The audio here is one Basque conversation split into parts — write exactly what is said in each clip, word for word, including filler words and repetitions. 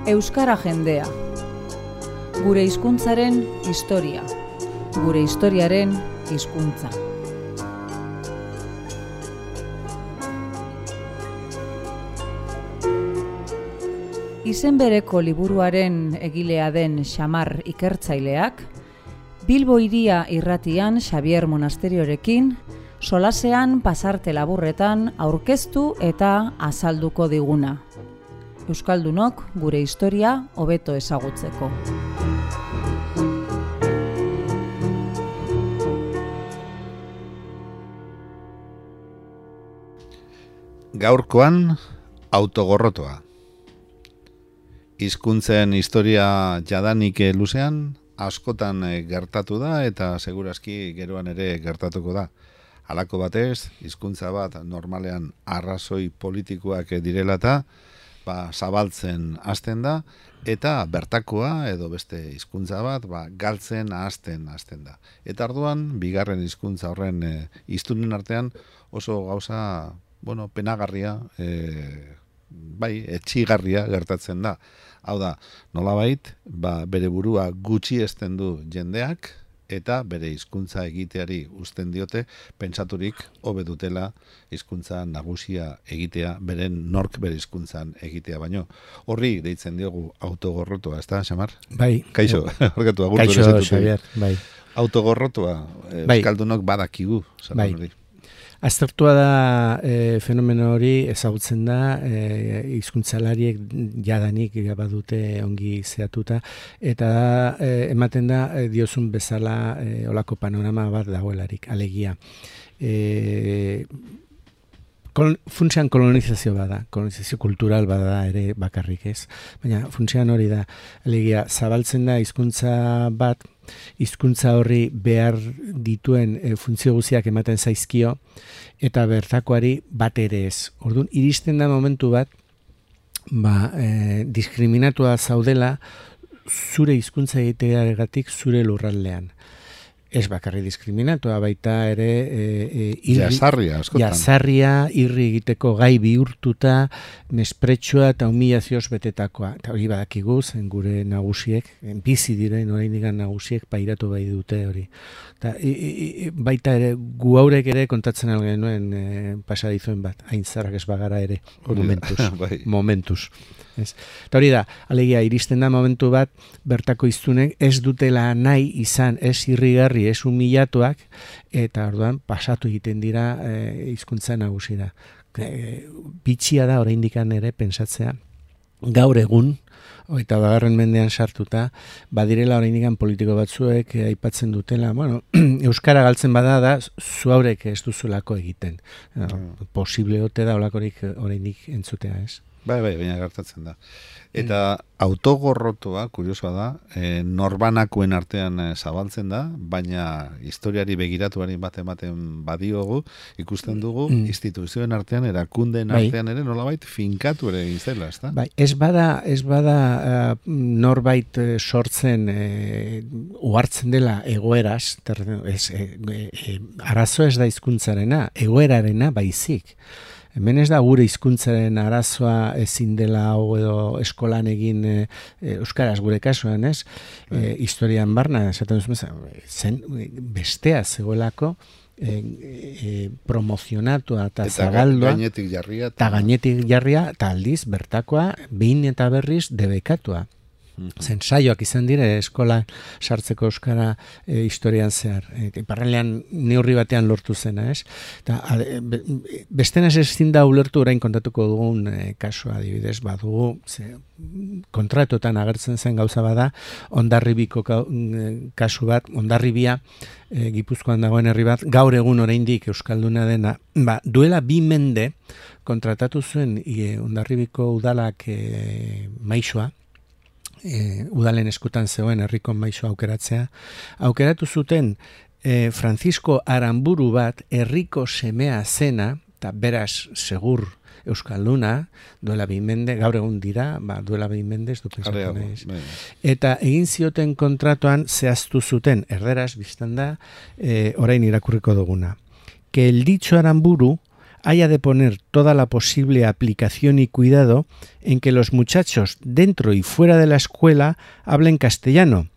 Euskara jendea. Gure hizkuntzaren historia. Gure historiaren hizkuntza. Izen bereko liburuaren egilea den Xamar ikertzaileak, Bilbo hiria irratian Xabier Monasteriorekin, solasean pasarte laburretan aurkeztu eta azalduko diguna. Euskaldunok gure historia hobeto ezagutzeko. Gaurkoan autogorrotoa. Hizkuntzen historia jadanik luzean askotan gertatu da eta segurazki geroan ere gertatuko da. Halako batez, hizkuntza bat normalean arrazoi politikoak direla eta ba, zabaltzen hasten da eta bertakoa edo beste hizkuntza bat ba, galtzen hasten hasten da. Eta orduan bigarren hizkuntza horren e, hiztunen artean oso gauza, bueno, penagarria, e, bai, etxigarria gertatzen da. Hau da, nolabait, ba, bere burua gutxiesten du jendeak eta bere hizkuntza egiteari uzten diote pentsaturik hobe dutela hizkuntza nagusia egitea, beren nork bere hizkuntzan egitea baino. Horri deitzen diogu autogorrotoa, ezta, Xamar? Bai. Kaixo, horretu agurtu. Kaixo, Xabier, bai. Autogorrotoa, euskaldunok badakigu, bai. Hori. Aztertua da e, fenomeno hori ezagutzen da, e, hizkuntzalariek jadanik badute ongi zehatuta, eta e, ematen da e, diozun bezala e, olako panorama bat dagoelarik, alegia. E, kol, funtsean kolonizazio bada, kolonizazio kultural bada ere bakarrik ez, baina funtsean hori da, alegia, zabaltzen da hizkuntza bat, hizkuntza horri behar dituen e, funtzio guztiak ematen zaizkio eta bertakoari bat ere ez. Orduan, iristen da momentu bat, ba, e, diskriminatua zaudela zure hizkuntza egiteagatik zure lurraldean. Ez bakarri diskriminatua, baita ere e, e, irri, jazarria, askotan. Jazarria, irri egiteko gai bihurtuta, mespretsua eta humilazioz betetakoa. Eta hori badakigu, zen gure nagusiek, bizi diren oraindik nagusiek pairatu bai dute hori. Eta, i, i, baita ere, gu haurek ere kontatzen algenuen e, pasadizuen bat, hain zarrak ez bagara ere, momentuz. bai. momentuz. Ez. Eta hori da, alegia, iristen da momentu bat, bertako hiztunek ez dutela nahi izan, ez irrigarri, ez humilatuak, eta orduan pasatu egiten dira e, hizkuntza nagusira. E, bitxia da oraindik ere pentsatzea, gaur egun, eta bagarren mendean sartuta, badirela oraindik politiko batzuek e, aipatzen dutela, bueno, euskara galtzen bada da, zu haurek ez duzulako egiten. Mm. Posible ote da olakorik oraindik entzutea, ez? Bai, bai, baina gertatzen da. Eta autogorrotoa, kuriosoa da, e, norbanakoen artean e, zabaltzen da, baina historiari begiratuari bat ematen badiogu, ikusten dugu, mm. instituzioen artean, erakundeen bai. artean ere nolabait finkatu ere izela, ezta? Bai, ez bada, ez bada uh, norbait uh, sortzen uh, uhartzen dela egoeraz, ter, ez, e, e, arazo ez da hizkuntzarena, egoerarena baizik. Hemen ez da gure hizkuntzaren arazoa ezin dela hau edo eskolan egin e, euskaraz gure kasuan, ez? E, historian barna, esaten duzu, zen bestea zegoelako e, e, promozionatua eta zagaldua. Eta gainetik jarria. Eta gainetik jarria, eta aldiz bertakoa, behin eta berriz debekatua. Zen saioak izan dire eskola sartzeko euskara e, historian zehar. E, Iparraldean neurri batean lortu zena, ez? Eta be, bestenaz ezin da ulertu orain kontatuko dugun e, kasua adibidez, badugu, ze, kontratuetan agertzen zen gauza bada, Hondarribiko kasu bat, Hondarribia, e, Gipuzkoan dagoen herri bat, gaur egun oraindik euskalduna dena, ba, duela bi mende kontratatu zuen e, Hondarribiko udalak e, maixoa, E, udalen eskutan zegoen herriko maisu aukeratzea, aukeratu zuten e, Francisco Aramburu bat herriko semea zena, eta beraz segur euskalduna, duela behin mende, gaur egun dira, ba, duela behin mende, ez du pensatu nahiz. Eta egin zioten kontratuan zehaztu zuten, erderaz, biztan da, e, orain irakurriko duguna. Que el dicho Aramburu haya de poner toda la posible aplicación y cuidado en que los muchachos dentro y fuera de la escuela hablen castellano,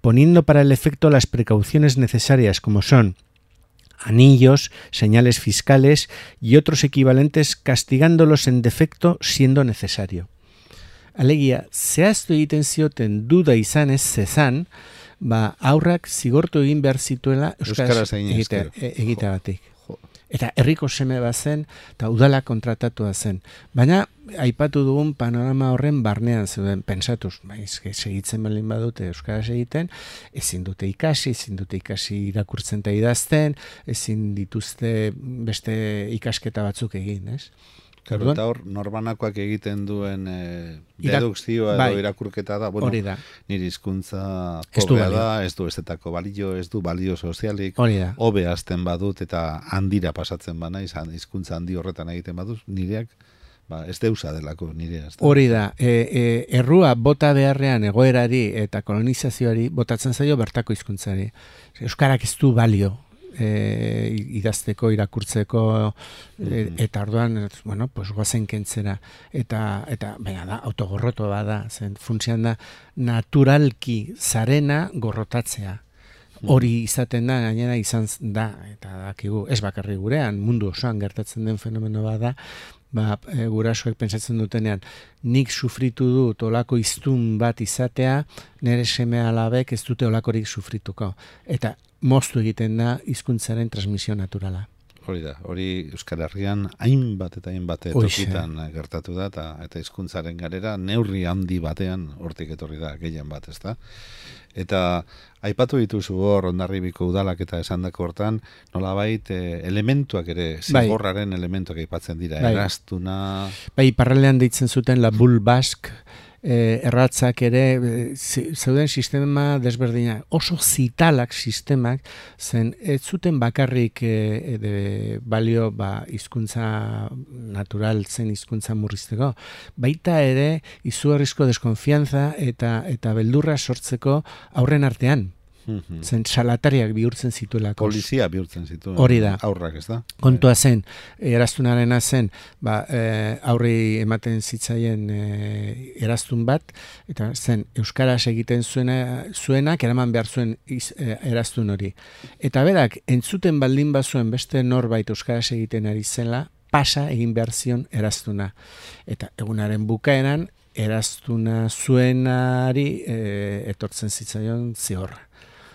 poniendo para el efecto las precauciones necesarias como son anillos, señales fiscales y otros equivalentes, castigándolos en defecto siendo necesario. Alegia, zehaztu egiten zioten duda izanez zezan, ba, aurrak zigortu egin behar zituela euskaraz egiteagatik. Eta herriko seme bat zen, eta udala kontratatua zen. Baina, aipatu dugun panorama horren barnean zeuden, pensatuz, baiz, segitzen baldin badute euskaraz egiten, ezin dute ikasi, ezin dute ikasi irakurtzen eta idazten, ezin dituzte beste ikasketa batzuk egin, ez? Claro, eta hor, norbanakoak egiten duen eh, dedukzioa edo bai, irakurketa da, bueno, da. Nire hizkuntza pobrea da, ez du estetako balio, ez du balio sozialik, hobe hasten badut eta handira pasatzen bana, izan hizkuntza handi horretan egiten badut, nireak, ba, ez deusa delako nirea. Hori da, e, e, errua bota beharrean egoerari eta kolonizazioari botatzen zaio bertako hizkuntzari. Euskarak ez du balio. E, idazteko, irakurtzeko e, eta orduan, bueno, pues goazen kentzera eta, eta baina da, autogorroto bada, zen funtzian da naturalki zarena gorrotatzea. Hori izaten da, gainera izan da, eta dakigu, ez bakarri gurean, mundu osoan gertatzen den fenomeno bada, ba, e, gurasoek pentsatzen dutenean, nik sufritu dut olako hiztun bat izatea, nire seme alabek ez dute olakorik sufrituko. Eta moztu egiten da hizkuntzaren transmisio naturala. Hori da, hori Euskal Herrian hainbat eta hainbat tokitan gertatu da, eta, eta hizkuntzaren garera neurri handi batean hortik etorri da, gehien bat, ez da? Eta aipatu dituzu hor Hondarribiko udalak eta esandako hortan, nolabait eh, elementuak ere, zigorraren bai, elementuak aipatzen dira, bai, eraztuna... Bai, parralean deitzen zuten la bull bask, eh, erratzak ere, eh, zeuden sistema desberdina, oso zitalak sistemak, zen ez zuten bakarrik eh, de balio ba, hizkuntza natural zen hizkuntza murrizteko, baita ere izugarrizko deskonfiantza eta, eta beldurra sortzeko aurren artean. Mm-hmm. Zen salatariak bihurtzen zituelako. Polizia bihurtzen zituen. Hori da. Aurrak, ez da? Kontua zen, eraztunarena zen, ba, e, aurri ematen zitzaien e, eraztun bat, eta zen, euskaraz egiten zuena, zuenak eraman behar zuen iz, e, eraztun hori. Eta berak, entzuten baldin bazuen beste norbait euskaraz egiten ari zela, pasa egin behar zion eraztuna. Eta egunaren bukaeran, eraztuna zuenari e, etortzen zitzaion zigorra.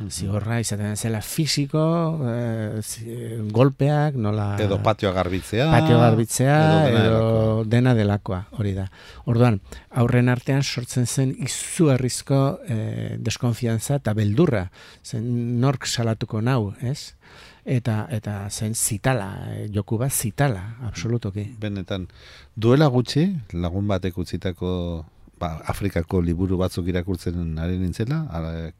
Zigorra izaten zela fisiko, eh, golpeak, nola... Edo patioa garbitzea. Patioa garbitzea, edo dena, edo dena delakoa, hori da. Orduan, aurren artean sortzen zen izugarrizko eh, deskonfiantza eta beldurra. Zen nork salatuko nau, ez? Eta, eta zen zitala, eh, joku bat zitala, absolutoki. Benetan, duela gutxi, lagun batek utzitako... Ba, Afrikako liburu batzuk irakurtzen ari nintzela,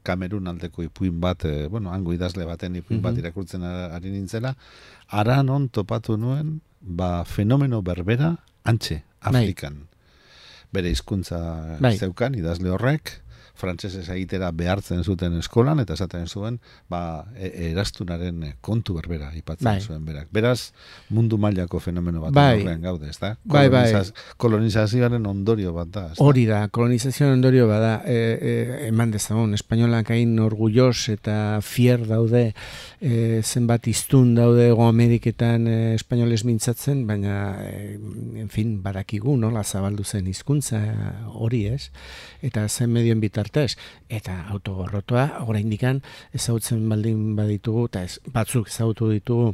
Kamerun aldeko ipuin bat, e, bueno, hango idazle baten ipuin bat irakurtzen ari nintzela, ara non topatu nuen, ba, fenomeno berbera antxe, Afrikan. Bere hizkuntza bai, zeukan, idazle horrek, frantsesez egitera behartzen zuten eskolan, eta esaten zuen, ba, e, eraztunaren kontu berbera aipatzen bai, zuen berak. Beraz, mundu mailako fenomeno bat bai, horrean gaude, ez da? Bai, Kolonizaz, bai. Kolonizazioaren ondorio bat da. Hori da, kolonizazioaren ondorio bat da. E, e, eman dezagun, espainolak hain orgulloz eta fier daude, e, zenbat iztun daude Ego Ameriketan e, espainoles mintzatzen, baina, e, en fin, badakigu, nola zabaldu zen hizkuntza hori, ez? Eta zen medioen bitartez, eta autogorrotoa, oraindikan ezagutzen baldin baditugu, eta ez, batzuk ezagutu ditugu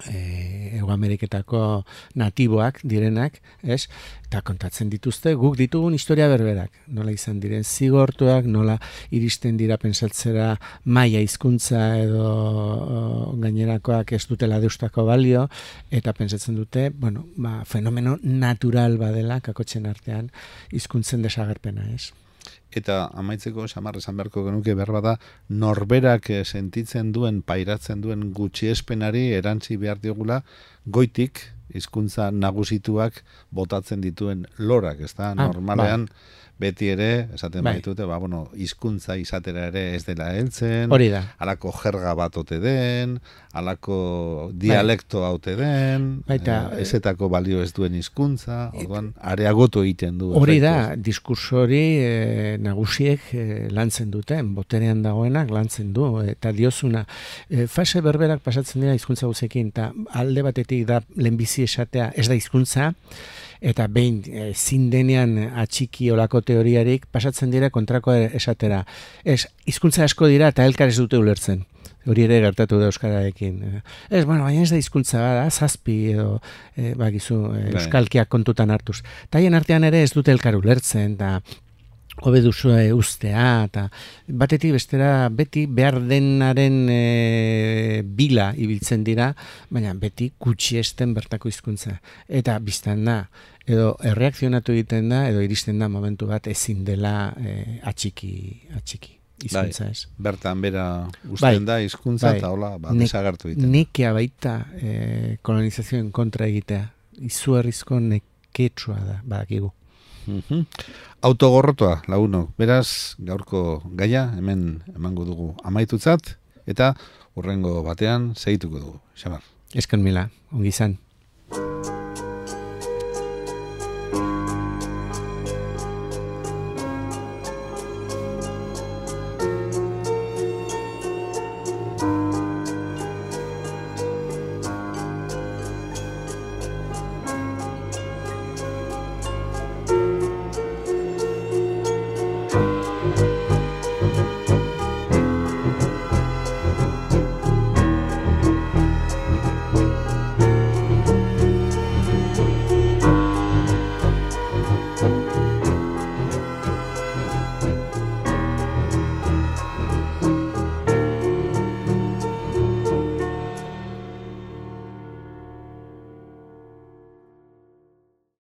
e, Ego Ameriketako natiboak direnak, ez? Eta kontatzen dituzte, guk ditugun historia berberak. Nola izan diren zigortuak, nola iristen dira pentsatzera maila hizkuntza edo o, gainerakoak ez dutela deustako balio, eta pentsatzen dute, bueno, ba, fenomeno natural badela kakotxen artean hizkuntzen desagerpena, ez? Eta amaitzeko, Xamar, esan beharko genuke behar bada, norberak sentitzen duen, pairatzen duen gutxiespenari erantzi behar diogula, goitik hizkuntza nagusituak botatzen dituen lorak, ezta? Ah, Normalean beti ere, esaten Bai. baitute, ba, bueno, hizkuntza izatera ere ez dela heltzen, Hori da. halako jerga bat ote den, halako dialekto haute den, Baita, eh, ezetako balio ez duen hizkuntza, orduan, areagotu egiten du. Hori da, efektu, diskurso hori e, nagusiek e, lantzen duten, boterean dagoenak lantzen du, eta diozuna, e, fase berberak pasatzen dira hizkuntza guzekin, eta alde batetik da lehenbizi esatea ez da hizkuntza, eta behin e, zindenean atxiki olako teoriarik pasatzen dira kontrako esatera. Ez, hizkuntza asko dira eta elkar ez dute ulertzen. Hori ere gertatu da euskararekin. Ez, bueno, baina ez da hizkuntza da, zazpi edo e, bakizu, e, euskalkiak kontutan hartuz. Taien artean ere ez dute elkar ulertzen, da hobe duzu e, ustea, eta batetik bestera beti behar denaren e, bila ibiltzen dira, baina beti gutxiesten bertako hizkuntza. Eta biztan da, edo erreakzionatu egiten da, edo iristen da momentu bat ezin dela e, atxiki, atxiki. Hizkuntza ez. Bertan bera usten da hizkuntza bai. eta hola, ba, Ne- desagertu egiten. Nekea baita e, kolonizazioen kontra egitea. Izugarrizko neketsua da, badakigu. Mhm. Autogorrotoa, lagunok. Beraz, gaurko gaia hemen emango dugu amaitutzat eta hurrengo batean segituko dugu. Xamar. Esken mila, ongi izan.